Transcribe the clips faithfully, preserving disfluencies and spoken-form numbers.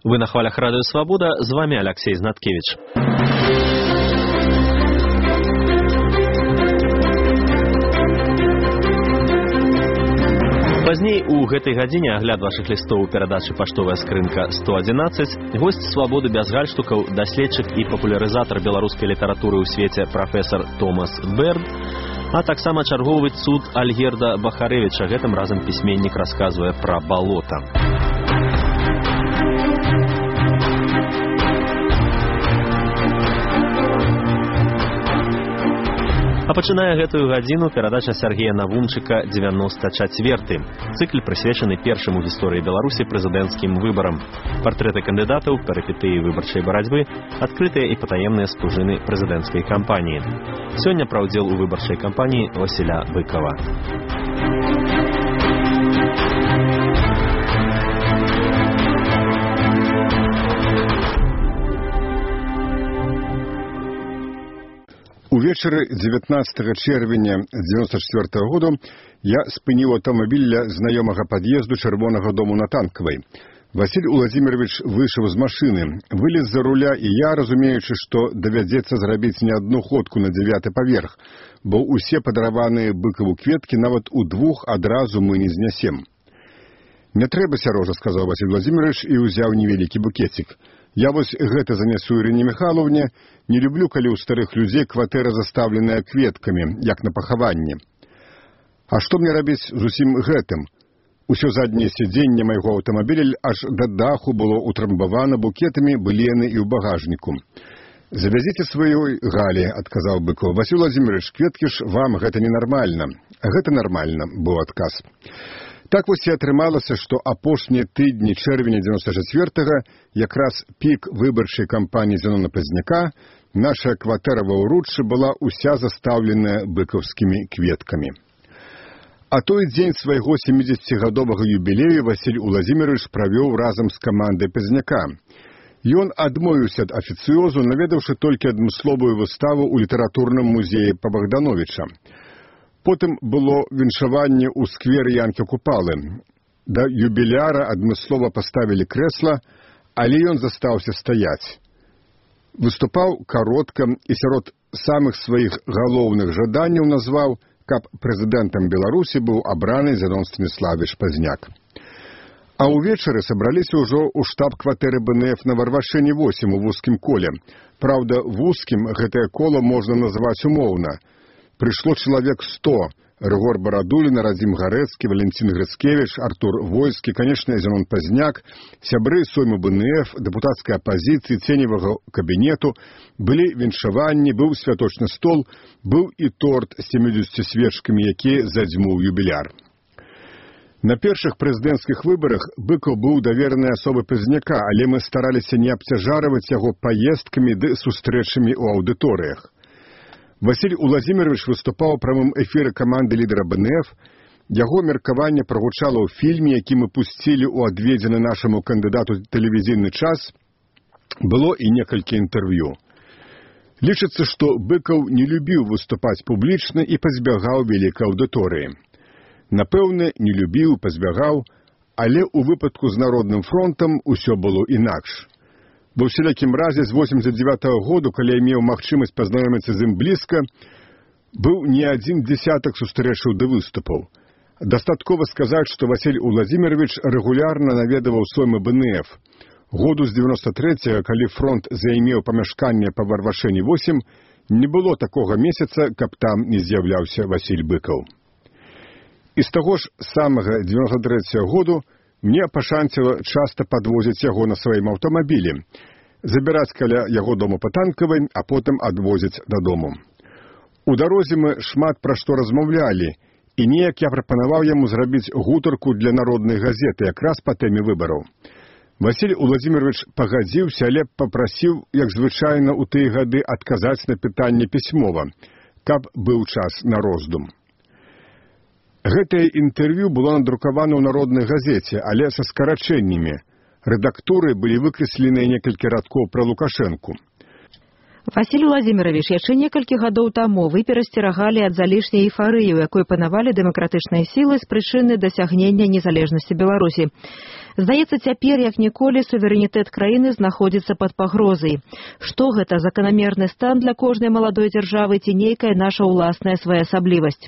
Вы на хвалях Радио Свобода, з вами Алексей Знаткевич. Пазней у гэтай гадзіне агляд вашых лістоў у перадачы «Паштовая скрынка сто адзінаццаць», госць «Свабоды без гальштукаў», даследчык і папулярызатар беларускай літаратуры ў свеце прафесар Томас Берд, а таксама чарговы цуд Альгерда Бахарэвіча. Гэтым разам пісьменнік расказвае пра балота. А пачынае гэтую гадзіну перадача Сергея Навумчыка «девяносто четвёртый». Цыкл прысвечаны першым у гісторыі Беларусі прэзідэнцкім выбарам. Партрэты кандыдатаў, перыпетыі выбарчай барацьбы, адкрытыя і патаемныя спужыны прэзідэнцкай кампаніі. Сёння пра ўдзел у выбарчай кампаніі Васіля Быкова. Увечары дзевятнаццатага чэрвеня дзевяносто четвёртого году я спыніў аўтамабіль ля знаёмага пад'езду Чырвонага дому на Танкавай. Васіль Уладзімірович выйшаў з машыны, вылез за руля, і я, разумеючы, што давядзецца зрабіць не адну ходку на дзявяты паверх, бо ўсе падараваныя Быкаву кветкі нават у двух адразу мы не знясем. «Не трэба, Сярожа», — сказаў Васіль Уладзімірович і ўзяў невялікі букетик. «Я вось гэта занесу Ірыне Михайловне. Не люблю, калі ў старых людзей кватэра заставленая кветкамі, як на пахаванне. А што мне рабіць з усім гэтым? Усё задняе сядзенне майго аўтамабіля аж да даху было утрамбавана букетамі былены і ў багажніку». «Завязіце сваёй Галі», — адказаў Быков. «Васіль Владимирович, кветкі ж вам гэта ненармальна». «Гэта нармальна», — быў адказ. Так вось і атрымалася, што апошнія тыдні чэрвеня дзевяносто четвёртого, якраз пік выбарчай кампаніі Зенона Пазняка, наша кватэра ва ўруччы была ўся застаўленая быкаўскімі кветкамі. А той дзень свайго сямідзесяцігадовага юбілею Васіль Уладзімірович правёў разам з камандай Пазняка. Ён адмовіўся ад афіцыёзу, наведаўшы толькі адмысловую выставу ў літаратурным музеі па Богдановича. Потым было віншаванне ў скверы Янкі Купалы. Да юбіляра адмыслова паставілі крэсла, але ён застаўся стаяць. Выступаў каротка і сярод самых сваіх галоўных жаданняў назваў, каб прэзідэнтам Беларусі быў абраны Зенон Станіславович Пазняк. А ўвечары сабраліся ўжо ў штаб-кватэры Бэ Эн Эф на Варвашыне восем у вузкім коле. Праўда, вузкім гэтае кола можна назваць умоўна. Прыйшло чалавек сто. Рыгор Барадулін, Радзім Гарэцкі, Валентин Грыцкевич, Артур Войскі, канечне, Зенон Пазняк, сябры сойму Бэ Эн Эф, дэпутацкай апазіцыі, ценевага кабінету, былі віншаванні, быў святочны стол, быў і торт з сямідзесятю свечкамі, які задзьмуў юбіляр. На першых прэзідэнцкіх выбарах Быкаў быў даверанай асобай Пазняка, але мы стараліся не абцяжарваць яго паездкамі ды сустрэчамі ў аўдыторыях. Васіль Уладзімірович выступаў у прамым эфіры каманды лідара Бэ Эн Эф. Яго меркаванне прагучала ў фільме, які мы пусцілі ў адведзены нашаму кандыдату тэлевізійны час. Было і некалькі інтэрв'ю. Лічыцца, што Быкаў не любіў выступаць публічна і пазбягаў вялікай аўдыторыі. Напэўна, не любіў, пазбягаў, але ў выпадку з Народным фронтам усё было інакш. Ва ўсялякім разе з восемьдесят девятого году, калі я меў магчымасць пазнаёміцца з ім блізка, быў не адзін дзесятак сустрэчаў ды выступаў. Дастаткова сказаць, што Васіль Уладзімірович рэгулярна наведаваў соймы Бэ Эн Эф. Году з девяносто третьего, калі фронт займеў памяшканне па Варвашыне восем, не было такога месяца, каб там не з'яўляўся Васіль Быкаў. І з таго ж самага девяносто третьего году мне пашанціла часта падвозіць яго на сваім аўтамабілі, забіраць каля яго дому па Танкавай, а потым адвозіць дадому. У дарозе мы шмат пра што размаўлялі, і неяк я прапанаваў яму зрабіць гутарку для народнай газеты якраз па тэме выбараў. Васіль Уладзімірович пагадзіўся, але папрасіў, як звычайна ў тыя гады, адказаць на пытанне пісьмова, каб быў час на роздум. Гэтае інтэрв'ю было надрукавана ў народнай газеце, але са скарачэннямі. Рэдактуры былі выкрэсленыя некалькі радкоў пра Лукашэнку. Васіль Уладзімірович, яшчэ некалькі гадоў таму вы перасцерагалі ад залішняй эйфарыі, у якой панавалі дэмакратычныя сілы з прычыны дасягнення незалежнасці Беларусі. Здаецца, цяпер, як ніколі, суверэнітэт краіны знаходзіцца пад пагрозай. Што гэта, заканамерны стан для кожнай маладой дзяржавы ці нейкая наша ўласная своеасаблівасць?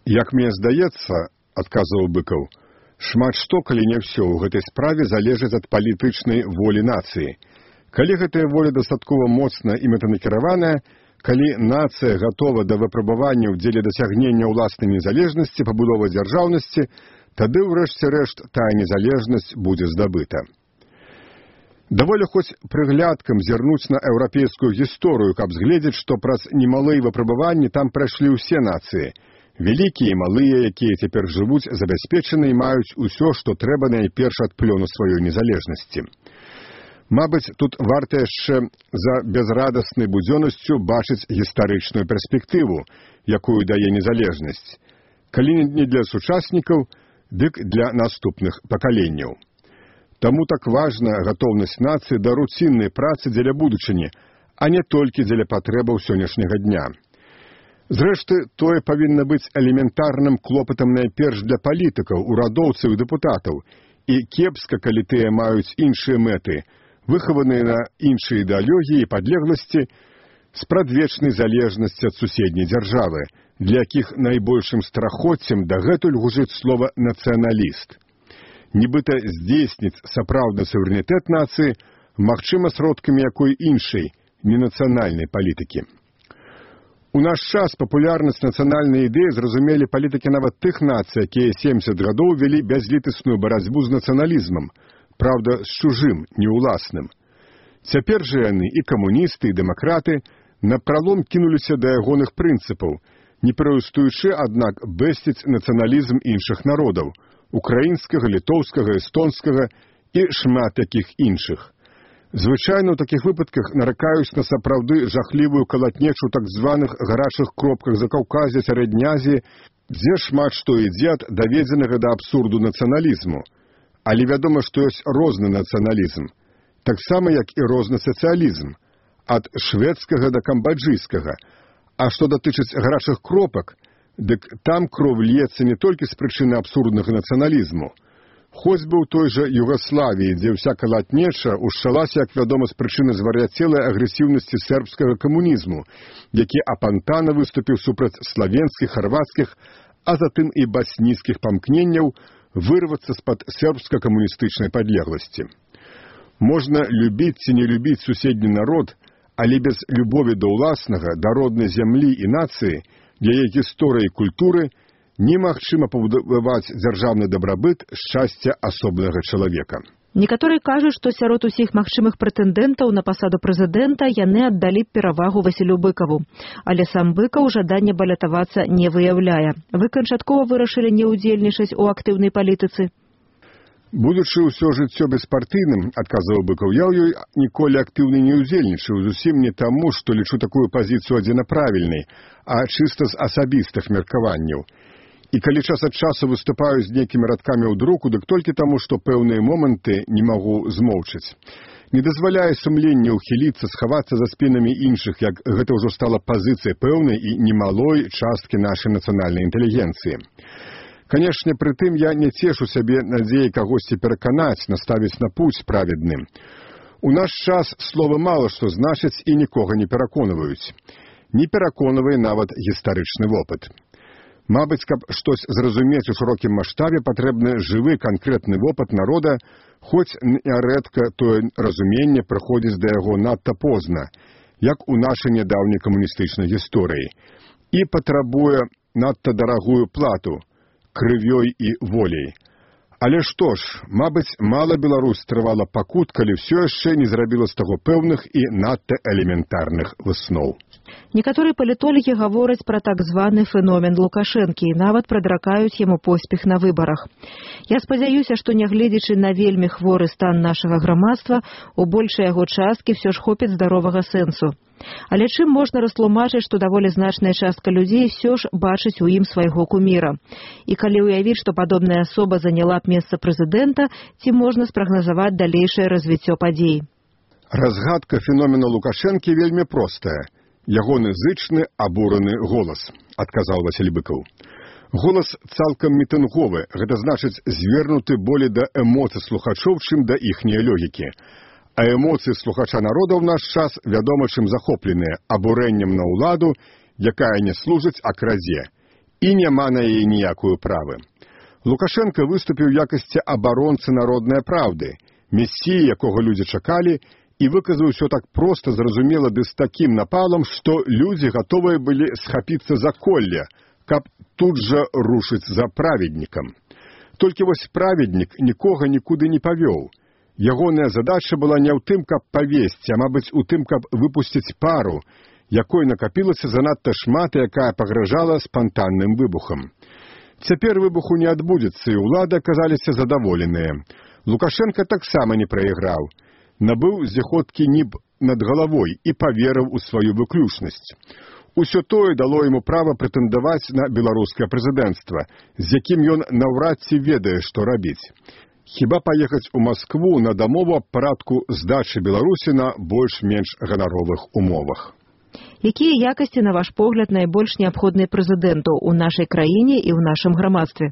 Як мне здаецца, адказваў Быкаў, шмат што, калі не ўсё, у гэтай справе залежыць ад палітычнай волі нацыі. Калі гэтая воля дастаткова моцна і мэтанакіраваная, калі нацыя гатова да выпрабавання ў дзеле дасягнення ўласнай незалежнасці, пабудовы дзяржаўнасці, тады ў рэшце рэшт тая незалежнасць будзе здабыта. Даволі хоць прыглядкам зірнуць на еўрапейскую гісторыю, каб згледзець, што праз немалыя выпрабаванні там прайшлі ўсе нацыі. Вялікія і малыя, якія цяпер жывуць забяспечаны і маюць усё, што трэба найперш ад плёну сваёй незалежнасці. Мабыць, тут варта яшчэ за бязрадаснай будзённасцю бачыць гістарычную перспектыву, якую дае незалежнасць. Калі не для сучаснікаў, дык для наступных пакаленняў. Таму так важна гатоўнасць нацыі да руціннай працы дзеля будучыні, а не толькі дзеля патрэбаў сённяшняга дня. Зрэшты, тое павінна быць элементарным клопатам найперш для палітыкаў, урадоўцаў і дэпутатаў, і кепска, калі тыя маюць іншыя мэты, выхаваныя на іншыя ідэалогіі і падлегласці з прадвечнай залежнасці ад суседняй дзяржавы, для якіх найбольшым страхоццем дагэтуль гужыць слова «нацыяналіст». Нібыта здзейсніць сапраўдны суверэнітэт нацыі магчыма сродкамі якой іншай, ненацыянальнай палітыкі. У наш час папулярнасць нацыянальнай ідэі зразумелі палітыкі нават тых нацый, якія сямдзесят гадоў вялі бязлітасную барацьбу з нацыяналізмам, правда, з чужым, не ўласным. Цяпер жа яны, і камуністы, і дэмакраты, напралом кінуліся да ягоных прынцыпаў, не перастаючы, аднак, бэсціць нацыяналізм іншых народаў – украінскага, літоўскага, эстонскага і шмат якіх іншых. Звычайна ў такіх выпадках наракаюць на сапраўды жахлівую калатнечу так званых гарачых кропках Закаўказя, Сярэдняй Азіі, дзе шмат што ідзе ад даведзенага да абсурду нацыяналізму. Але вядома, што ёсць розны нацыяналізм, таксама як і розны сацыялізм, ад шведскага да камбаджыйскага. А што датычыць гарачых кропак, дык там кроў льецца не толькі з прычыны абсурднага нацыяналізму. Хоць бы ў той жа Югаславіі, дзе ўся калатнеча ушчалася, як вядома, з прычыны звар'яцелай агрэсіўнасці сербскага камунізму, які апантана выступіў супраць славенскіх, харвацкіх, а затым і баснійскіх памкненняў вырвацца з-пад сербска-камуністычнай падлегласці. Можна любіць ці не любіць суседні народ, але без любові да ўласнага, да роднай зямлі і нацыі, для яе гісторыі і культуры немагчыма пабудаваць дзяржаўны дабрабыт шчасця асобнага чалавека. Некаторыя кажуць, што сярод усіх магчымых прэтэндэнтаў на пасаду прэзідэнта яны аддалі перавагу Васілю Быкаву. Але сам Быкаў жадання балятавацца не выяўляе. Вы канчаткова вырашылі не ўдзельнічаць у актыўнай палітыцы? Будучы ўсё жыццё беспартыйным, адказваў Быкаў, я ў ёй ніколі актыўна не ўдзельнічаў, зусім не таму, што лічу такую пазіцыю адзінаправільнай, а чыста з асабістых меркаванняў. І калі час ад часу выступаю з нейкімі радкамі ў друку, дык толькі таму, што пэўныя моманты не магу змоўчыць. Не дазваляе сумленне ўхіліцца, схавацца за спінамі іншых, як гэта ўжо стала пазіцыяй пэўнай і немалой часткі нашай нацыянальнай інтэлігенцыі. Канешне, пры тым я не цешу сябе надзеяй кагосьці пераканаць, наставіць на путь праведны. У наш час слова мала што значыць і нікога не пераконваюць. Не пераконвае нават гістарычны вопыт. Мабыць, каб штось зразумець у шырокім маштабе, патрэбны жывы канкрэтны вопыт народа, хоць нярэдка тое разуменне прыходзіць да яго надта позна, як у нашай нядаўняй камуністычнай гісторыі, і патрабуе надта дарагую плату крывёй і воляй. Але што ж, мабыць, мала Беларусь трывала пакут, калі ўсё яшчэ не зрабіла з таго пэўных і надта элементарных высноў. Некаторыя палітолагі гавораць пра так званы феномен Лукашэнкі і нават прадракаюць яму поспех на выбарах. Я спадзяюся, што нягледзячы на вельмі хворы стан нашага грамадства, у большай яго часткі ўсё ж хопіць здаровага сэнсу. Але чым можна растлумачыць, што даволі значная частка людзей ўсё ж бачыць у ім свайго куміра? І калі ўявіць, што падобная асоба заняла б месца прэзідэнта, ці можна спрагназаваць далейшае развіццё падзей? Разгадка феномена Лукашэнкі вельмі простая. Ягоны зычны, абураны голас, адказаў Васіль Быкаў. Голас цалкам мітынговы, гэта значыць звернуты болей да эмоцый слухачоў, чым да іхняй логікі. А эмоцыі слухача народа ў наш час вядома чым захопленыя абурэннем на ўладу, якая не служыць, а крадзе, і няма на яе ніякую правы. Лукашенко выступіў у якасці абаронцы народнай праўды, месіі, якога людзі чакалі, і выказаў усё так проста, зразумела ды з такім напалам, што людзі гатовыя былі схапіцца за колле, каб тут жа рушыць за праведнікам. Толькі вось праведнік нікога нікуды не павёў. Ягоная задача была не ў тым, каб павесці, а, мабыць, у тым, каб выпусціць пару, якой накапілася занадта шмат і якая пагражала спантанным выбухам. Цяпер выбуху не адбудзецца, і ўлады аказаліся задаволеныя. Лукашенко таксама не прайграў. Набыў зіхоткі ніб над галавой і паверыў у сваю выключнасць. Усё тое дало яму права прэтэндаваць на беларускае прэзідэнцтва, з якім ён наўрад ці ведае, што рабіць. Хіба паехаць у Маскву на дамову аб парадку здачы Беларусі на больш-менш ганаровых умовах. Якія якасці, на ваш погляд, найбольш неабходныя прэзідэнту ў нашай краіне і ў нашым грамадстве?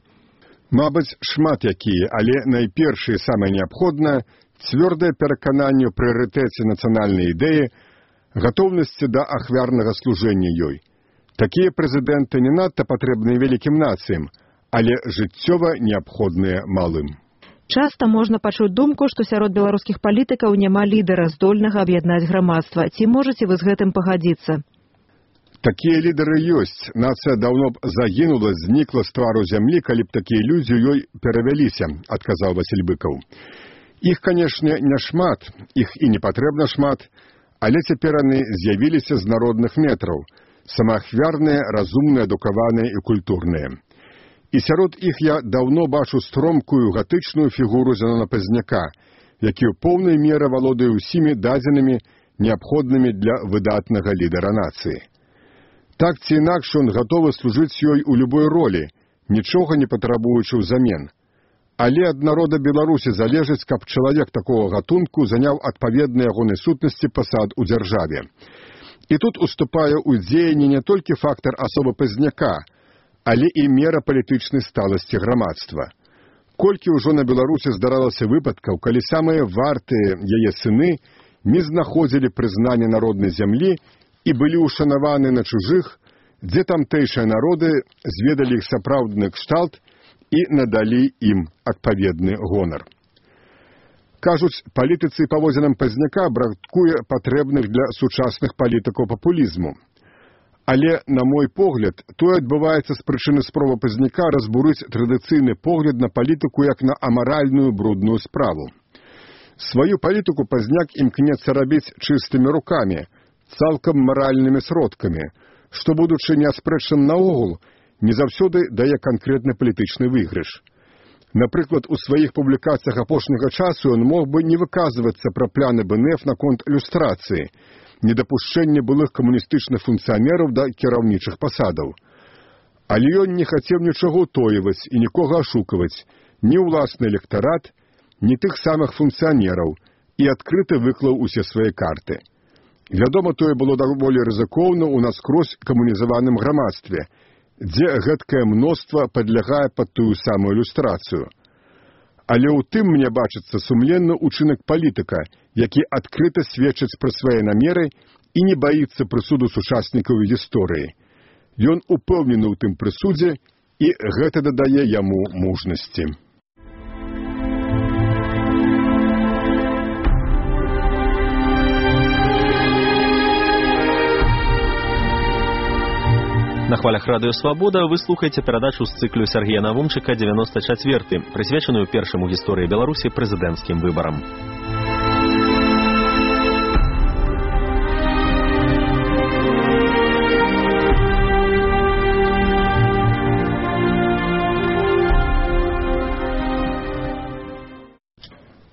Мабыць, шмат якія, але найперш і самае неабходнае цвёрдае перакананне ў прыярытэце нацыянальнай ідэі, гатоўнасці да ахвярнага служэння ёй. Такія прэзідэнты не надта патрэбныя вялікім нацыям, але жыццёва неабходныя малым. Часта можна пачуць думку, што сярод беларускіх палітыкаў няма лідара, здольнага аб'яднаць грамадства. Ці можаце вы з гэтым пагадзіцца? Такія лідары ёсць. Нацыя даўно б загінула, знікла з твару зямлі, калі б такія людзі ёй перавяліся, адказаў Васіль Быкаў. Іх, канешне, не шмат, іх і не патрэбна шмат, але цяпер яны з'явіліся з народных метраў, самаахвярныя, разумныя, адукаваныя і культурныя. І сярод іх я даўно бачу стромкую гатычную фігуру Зенона Пазняка, які ў поўнай меры валодае ўсімі дадзенымі, неабходнымі для выдатнага лідара нацыі. Так ці інакш ён гатовы служыць ёй у любой ролі, нічога не патрабуючы ўзамен. Але ад народа Беларусі залежыць, каб чалавек такога гатунку заняў адпаведны ягонай сутнасці пасад у дзяржаве. І тут уступае ў дзеянні не толькі фактар асобы Пазняка, але і мера палітычнай сталасці грамадства. Колькі ўжо на Беларусі здаралася выпадкаў, калі самыя вартыя яе сыны не знаходзілі прызнання народнай зямлі і былі ўшанаваны на чужых, дзе тамтэйшыя народы зведалі іх сапраўдны кшталт і надалі ім адпаведны гонар. Кажуць, палітыцы і паводзінам Пазняка бракуе патрэбных для сучасных палітыкаў папулізму. Але, на мой погляд, тое адбываецца з прычыны спробы Пазняка разбурыць традыцыйны погляд на палітыку як на амаральную брудную справу. Сваю палітыку Пазняк імкнецца рабіць чыстымі рукамі, цалкам маральнымі сродкамі, што, будучы неаспрэчным наогул, не заўсёды дае канкрэтны палітычны выйгрыш. Напрыклад, у сваіх публікацыях апошняга часу ён мог бы не выказвацца пра пляны БНФ наконт люстрацыі, недапушчэнне былых камуністычных функцыянераў да кіраўнічых пасадаў. Але ён не хацеў нічога ўтойваць і нікога ашукаваць, ні ўласны электарат, ні тых самых функцыянераў, і адкрыта выклаў усе свае карты. Вядома, тое было даволі рызыкоўна ў наскрозь камунізаваным грамадстве, дзе гэткае мноства падлягае пад тую самую люстрацыю. Але ў тым мне бачыцца сумленны ўчынак палітыка, які адкрыта сведчыць пра свае намеры і не баіцца прысуду сучаснікаў гісторыі. Ён упэўнены ў тым прысудзе, і гэта дадае яму мужнасці. На хвалях радыё «Свабода» вы слухаеце перадачу з цыклю Сергея Навумчыка «девяносто четвёрты», прысвечаную першаму гісторыі Беларусі прэзідэнцкім выбарам.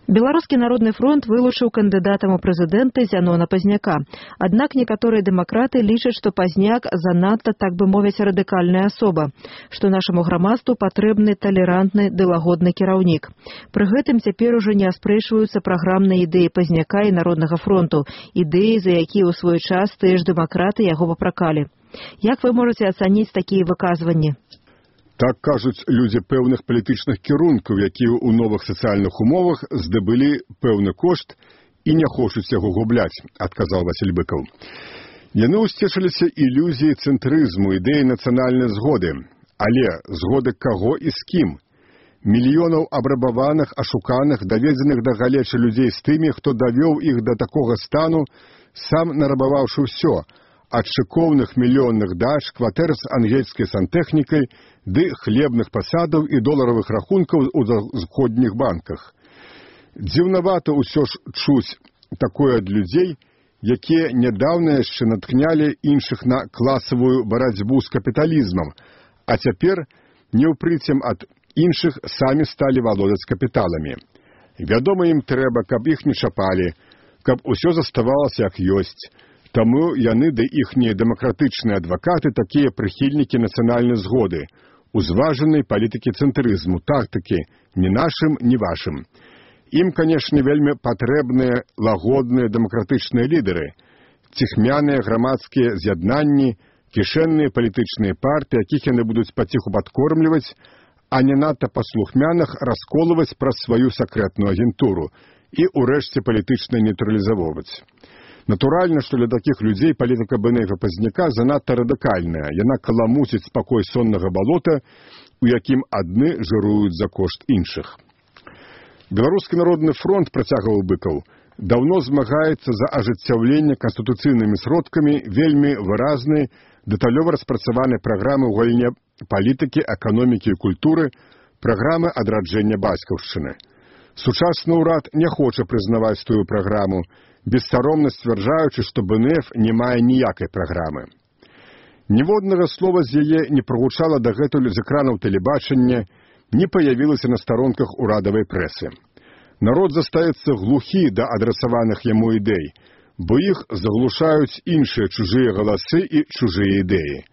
Беларускі народны фронт вылучыў кандыдатам у прэзідэнты Зянона Пазняка. Аднак некаторыя дэмакраты лічаць, што Пазняк занадта, так бы мовіць, радыкальная асоба, што нашаму грамадству патрэбны талерантны ды лагодны кіраўнік. Пры гэтым цяпер ужо не аспрэчваюцца праграмныя ідэі Пазняка і Народнага фронту, ідэі, за якія ў свой час тыя ж дэмакраты яго папракалі. Як вы можаце ацаніць такія выказванні? Так кажуць людзі пэўных палітычных кірункаў, якія ў новых сацыяльных умовах здабылі пэўны кошт і не хочуць яго губляць, адказаў Васіль Быкаў. Яны ўсцешыліся ілюзіі цэнтрызму, ідэі нацыянальнай згоды. Але згоды каго і з кім? Мільёнаў абрабаваных, ашуканых, даведзеных да галечы людзей з тымі, хто давёў іх да такога стану, сам нарабаваўшы ўсё, ад шыкоўных мільённых дач, кватэр з ангельскай сантэхнікай ды хлебных пасадаў і доларавых рахункаў у заходніх банках. Дзіўнавата ўсё ж чуць такое ад людзей, якія нядаўна яшчэ натхнялі іншых на класавую барацьбу з капіталізмам, а цяпер неўпрыцем ад іншых самі сталі валодаць капіталамі. Вядома, ім трэба, каб іх не чапалі, каб усё заставалася як ёсць. Таму яны ды іхнія дэмакратычныя адвакаты такія прыхільнікі нацыянальнай згоды, узважанай палітыкі цэнтрызму, тактыкі ні нашым, ні вашым. Ім, канешне, вельмі патрэбныя лагодныя дэмакратычныя лідары, ціхмяныя грамадскія з'яднанні, кішэнныя палітычныя партыі, якіх яны будуць паціху падкормліваць, а не надта паслухмяных расколваць праз сваю сакрэтную агентуру і ўрэшце палітычна нейтралізаваць. Натуральна, што для такіх людзей палітыка Бэнэйга Пазняка занадта радыкальная. Яна каламуціць спакой соннага балота, у якім адны жыруюць за кошт іншых. Беларускі народны фронт, працягваў Быкаў, даўно змагаецца за ажыццяўленне канстытуцыйнымі сродкамі вельмі выразнай, дэталёва распрацаванай праграмы ў галіне палітыкі, эканомікі і культуры, праграмы адраджэння бацькаўшчыны. Сучасны ўрад не хоча прызнаваць тую праграму, бессаромна сцвярджаючы, што БНФ не мае ніякай праграмы. Ніводнага слова з яе не прагучала дагэтуль з экранаў тэлебачання, не паявілася на старонках урадавай прэсы. Народ застаецца глухі да адрасаваных яму ідэй, бо іх заглушаюць іншыя чужыя галасы і чужыя ідэі.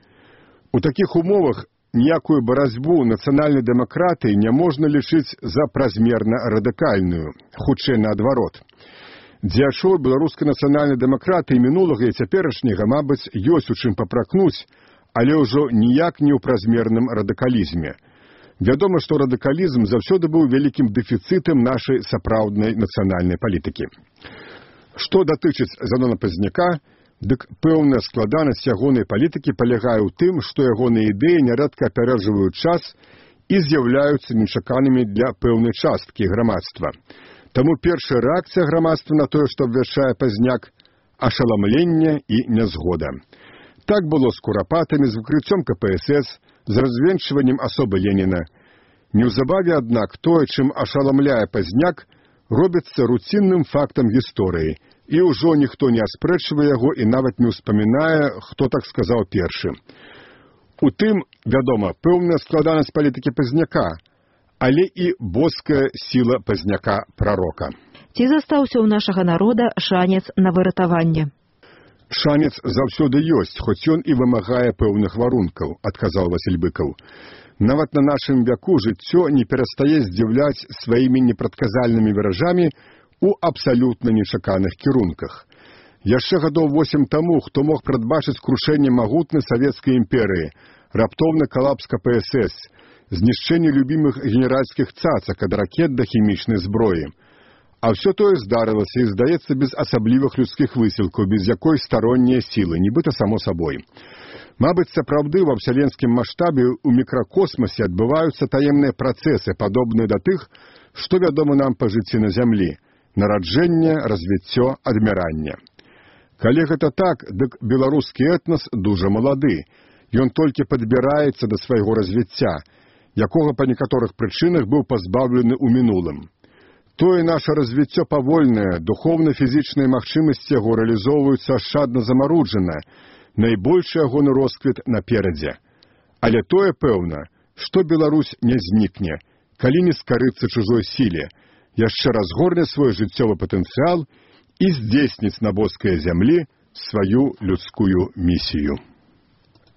У такіх умовах ніякую барацьбу нацыянальнай дэмакратыі не можна лічыць за празмерна радыкальную, хутчэй наадварот. Дзеячоў беларускай нацыянальнай дэмакратыі мінулага і цяперашняга, мабыць, ёсць у чым папракнуць, але ўжо ніяк не ў празмерным радыкалізме. Вядома, што радыкалізм заўсёды быў вялікім дэфіцытам нашай сапраўднай нацыянальнай палітыкі. Што датычыць Зянона Пазняка, дык пэўная складанасць ягонай палітыкі палягае ў тым, што ягоныя ідэі нярэдка апярэджваюць час і з'яўляюцца нечаканымі для пэўнай часткі грамадства. Таму першая рэакцыя грамадства на тое, што абвяшчае Пазняк – ашаламленне і нязгода. Так было з курапатамі, з выкрыццём ка пэ эс эс, з развенчваннем асобы Леніна. Неўзабаве, аднак, тое, чым ашаламляе Пазняк, робіцца руцінным фактам гісторыі, і ўжо ніхто не аспрэчвае яго і нават не ўспамінае, хто так сказаў першы. У тым, вядома, пэўная складанасць палітыкі Пазняка, але і боская сіла Пазняка-прарока. Ці застаўся ў нашага народа шанец на выратаванне? Шанец заўсёды ёсць, хоць ён і вымагае пэўных варункаў, адказаў Васіль Быкаў. Нават на нашым вяку жыццё не перастае здзіўляць сваімі непрадказальнымі выражамі у абсалютна нечаканых кірунках. Яшчэ гадоў восем таму, хто мог прадбачыць крушэнне магутнай савецкай імперыі, раптоўны калапс ка пэ эс эс, знішчэнне любімых генеральскіх цацак ад ракет да хімічнай зброі. А ўсё тое здарылася і, здаецца, без асаблівых людскіх высілкаў, без якой староннія сілы, нібыта само сабой. Мабыць, сапраўды ва ўсяленскім маштабе ў мікракосмасе адбываюцца таемныя працэсы, падобныя да тых, што вядома нам па жыцці на зямлі – нараджэнне, развіццё, адміранне. Калі гэта так, дык беларускі этнас дужа малады. Ён толькі падбіраецца да свайго развіцця, якога па некаторых прычынах быў пазбаўлены ў мінулым. Тое наша развіццё павольнае, духоўна-фізічныя магчымасці яго рэалізоўваюцца ашчадна замаруджана, найбольшы ягоны росквіт наперадзе. Але тое пэўна, што Беларусь не знікне, калі не скарыцца чужой сіле, яшчэ разгорне свой жыццёвы патэнцыял і здзейсніць на боскай зямлі сваю людскую місію.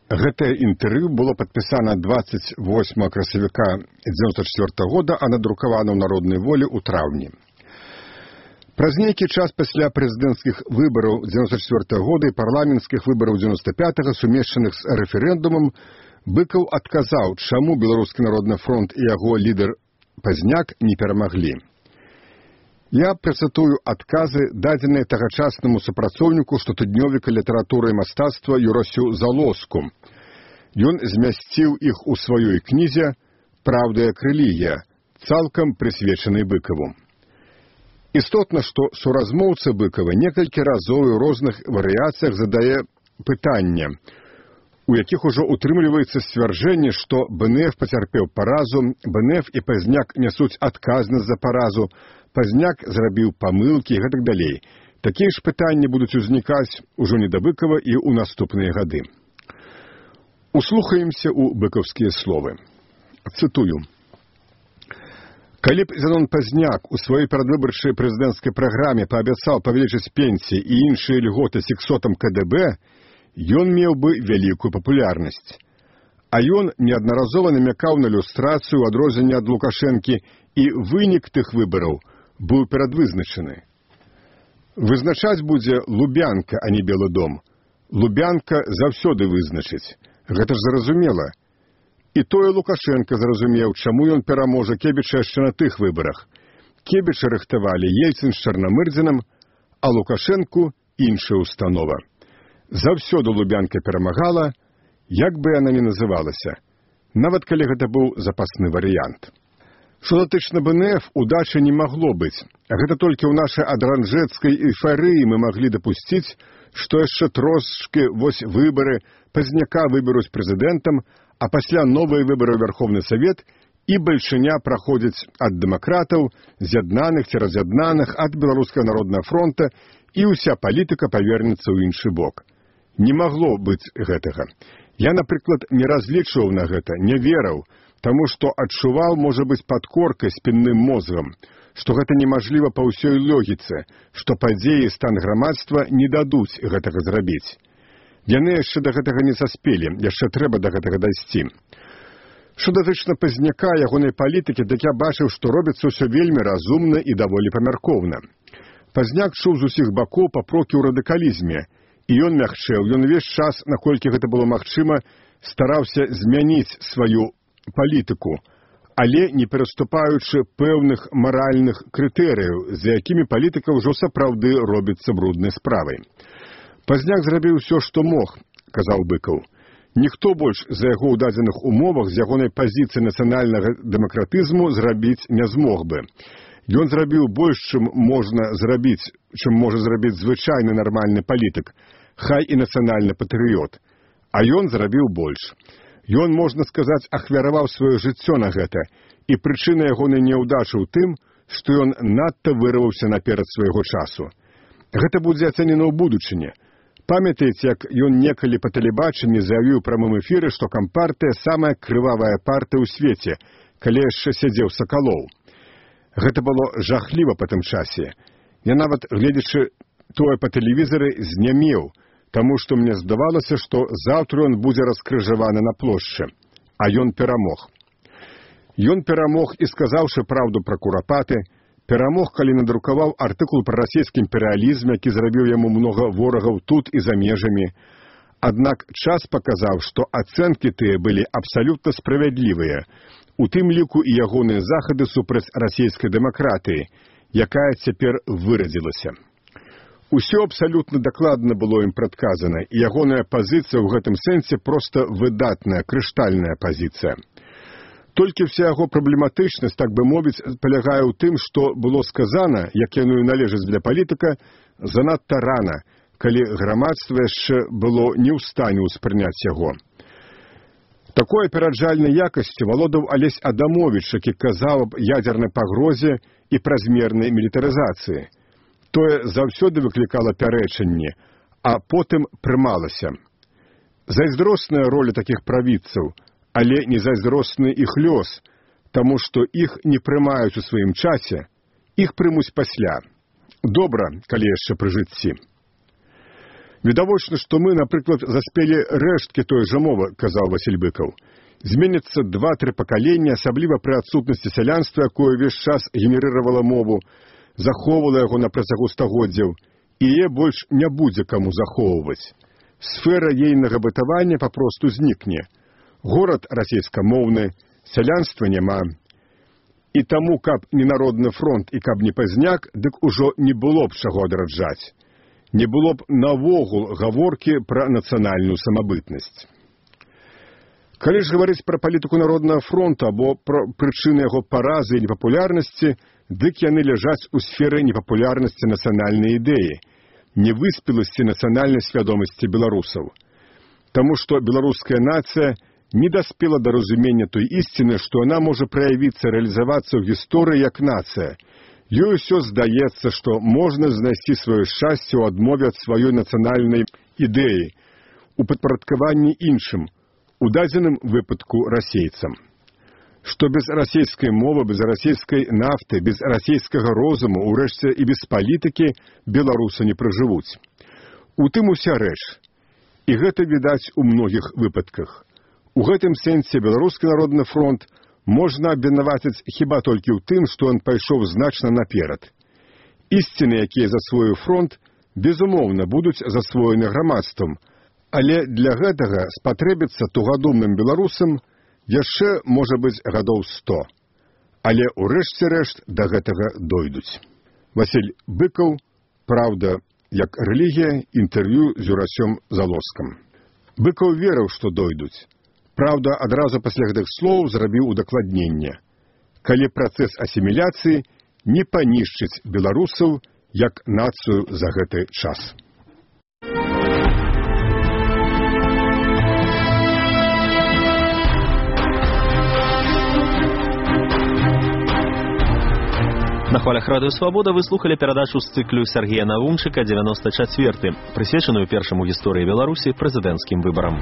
Гэтае інтэрв'ю было падпісана дваццаць восьмага красавіка дзевяносто четвёртого года, а надрукавана ў народнай волі ў траўні. Праз нейкі час пасля прэзідэнцкіх выбараў дзевяносто четвёртого года і парламенцкіх выбараў дзевяносто пятого, сумешчаных з рэферэндумам, Быкаў адказаў, чаму Беларускі народны фронт і яго лідар Пазняк не перамаглі. Я працытую адказы, дадзеныя тагачаснаму супрацоўніку штотыднёвіка літаратуры і мастацтва Юрасю Залоску. Ён змясціў іх у сваёй кнізе «Праўда як рэлігія», цалкам прысвечанай Быкаву. Істотна, што суразмоўца Быкава некалькі разоў у розных варыяцыях задае пытанне, у якіх ужо утрымліваецца сцвярджэнне, што БНФ пацярпеў паразу, БНФ і Пазняк нясуць адказнасць за паразу, Пазняк зрабіў памылкі і гэтак далей. Такія ж пытанні будуць узнікаць ужо не да Быкава і ў наступныя гады. Услухаемся ў быкаўскія словы. Цытую. Калі б Зенон Пазняк у сваёй перадвыбарчай прэзідэнцкай праграме паабяцаў павялічыць пенсіі і іншыя льготы сексотам ка дэ бэ, ён меў бы вялікую папулярнасць. А ён неаднаразова намякаў на люстрацыю ў адрозненне ад Лукашэнкі, і вынік тых выбараў быў перадвызначаны. Вызначаць будзе Лубянка, а не Белы дом. Лубянка заўсёды вызначыць. Гэта ж зразумела. І тое Лукашенко зразумеў, чаму ён пераможа Кебіча яшчэ на тых выбарах. Кебіча рыхтавалі Ельцын з Чарнамырдзінам, а Лукашэнку іншая установа. Заўсёды Лубянка перамагала, як бы яна ні называлася, нават калі гэта быў запасны варыянт. Што датычна БНФ, удачы не магло быць. Гэта толькі ў нашай адранжэцкай эйфарыі мы маглі дапусціць, што яшчэ трошкі вось выбары, Пазняка выберуць прэзідэнтам, а пасля новыя выбары ў Верховны Савет і бальшыня праходзіць ад дэмакратаў, з'яднаных ці раз'яднаных, ад Беларускага народнага фронта, і ўся палітыка павернецца ў іншы бок. Не магло быць гэтага. Я, напрыклад, не разлічваў на гэта, не верыў, таму што адчуваў, можа быць, падкоркай спінным мозгам, што гэта немажліва па ўсёй логіцы, што падзеі стан грамадства не дадуць гэтага зрабіць. Яны яшчэ да гэтага не саспелі, яшчэ трэба да гэтага дайсці. Што датычна Пазняка, ягонай палітыкі, дык я бачыў, што робіцца ўсё вельмі разумна і даволі памяркоўна. Пазняк чуў з усіх бакоў папрокі ў радыкалізме, і ён мягчэў, ён увесь час, наколькі гэта было магчыма, стараўся змяніць сваю палітыку, але не пераступаючы пэўных маральных крытэрыяў, за якімі палітыка ўжо сапраўды робіцца бруднай справай. Пазняк зрабіў усё, што мог, казаў Быкаў. Ніхто больш за яго ў дадзеных умовах з ягонай пазіцыі нацыянальнага дэмакратызму зрабіць не змог бы. Ён зрабіў больш, чым можна зрабіць, чым можа зрабіць звычайны нармальны палітык, хай і нацыянальны патрыёт. А ён зрабіў больш. Ён, можна сказаць, ахвяраваў сваё жыццё на гэта, і прычына ягонай няўдачы ў тым, што ён надта вырваўся наперад свайго часу. Гэта будзе ацэнена ў будучыні. Памятаеце, як ён некалі па тэлебачанні заявіў у прамым эфіры, што кампартыя самая крывавая партыя ў свеце, калі яшчэ сядзеў Сакалоў. Гэта было жахліва па тым часе. Я нават, гледзячы тое па тэлевізары, знямеў, таму што мне здавалася, што заўтра ён будзе раскрыжаваны на плошчы. А ён перамог. Ён перамог і сказаўшы праўду пра курапаты, перамог, калі надрукаваў артыкул пра расійскі імперыялізм, які зрабіў яму многа ворагаў тут і за межамі. Аднак час паказаў, што ацэнкі тыя былі абсалютна справядлівыя, у тым ліку і ягоныя захады супраць расійскай дэмакратыі, якая цяпер вырадзілася. Усё абсалютна дакладна было ім прадказана, і ягоная пазіцыя ў гэтым сэнсе проста выдатная, крыштальная пазіцыя. Толькі вся яго праблематычнасць, так бы мовіць, палягае ў тым, што было сказана, як яно і належыць для палітыка, занадта рана, калі грамадства яшчэ было не ў стане ўспрыняць яго. Такой апераджальнай якасцю валодаў Алесь Адамовіч, які казаў аб ядзернай пагрозе і празмернай мілітарызацыі. Тое заўсёды выклікала пярэчанні, а потым прымалася. Зайздросная роля такіх правідцаў, але не зайздросны іх лёс, таму што іх не прымаюць у сваім часе Іх прымуць пасля. Добра, калі яшчэ пры жыцці. Відавочна, што мы, напрыклад, заспелі рэшткі той жа мовы, казаў Васіль Быкаў. Зменяцца два-тры пакалення, асабліва пры адсутнасці сялянства, якое ўвесь час генерыравала мову, захоўвала яго на працягу стагоддзяў, і яе больш не будзе каму захоўваць. Сфера ейнага бытавання папросту знікне. Горад расейскамоўны, сялянства няма. І таму, каб не народны фронт і каб не пазняк, дык ужо не было б чаго адраджаць. Не было б навогул гаворкі пра нацыянальную самабытнасць. Калі ж гаварыць пра палітыку народнага фронта або пра прычыны яго паразы і непапулярнасці, дык яны ляжаць у сферы непапулярнасці нацыянальнай ідэі, невыспеласці нацыянальнай свядомасці беларусаў. Таму што беларуская нацыя не даспела да разумення той ісціны, што яна можа праявіцца, рэалізавацца ў гісторыі як нацыя. Ёй усё здаецца, што можна знайсці сваё шчасце ў адмове ад сваёй нацыянальнай ідэі, у падпарадкаванні іншым, у дадзеным выпадку расейцам. Што без расейскай мовы, без расейскай нафты, без расейскага розуму, урэшце і без палітыкі беларусы не пражывуць. У тым уся рэч. І гэта відаць у многіх выпадках. У гэтым сэнсе Беларускі народны фронт можна абвінаваціць хіба толькі ў тым, што ён пайшоў значна наперад. Ісціны, якія засвоіў фронт, безумоўна, будуць засвоены грамадствам, але для гэтага спатрэбіцца тугадумным беларусам яшчэ, можа быць, гадоў сто. Але ўрэшце рэшт да гэтага дойдуць. Васіль Быкаў, «Праўда, як рэлігія», інтэрв'ю з Юрасём Залоскам. Быкаў верыў, што дойдуць. Праўда, адразу пасля гэтых слоў зрабіў удакладненне. Калі працэс асіміляцыі не панішчыць беларусаў як нацыю за гэты час. На хвалях радыё «Свабода» вы слухали перадачу з цыклю Сергея Навумчыка «девяносто четвёртый», прысвечаную першаму гісторыі Беларусі прэзідэнцкім выбарам.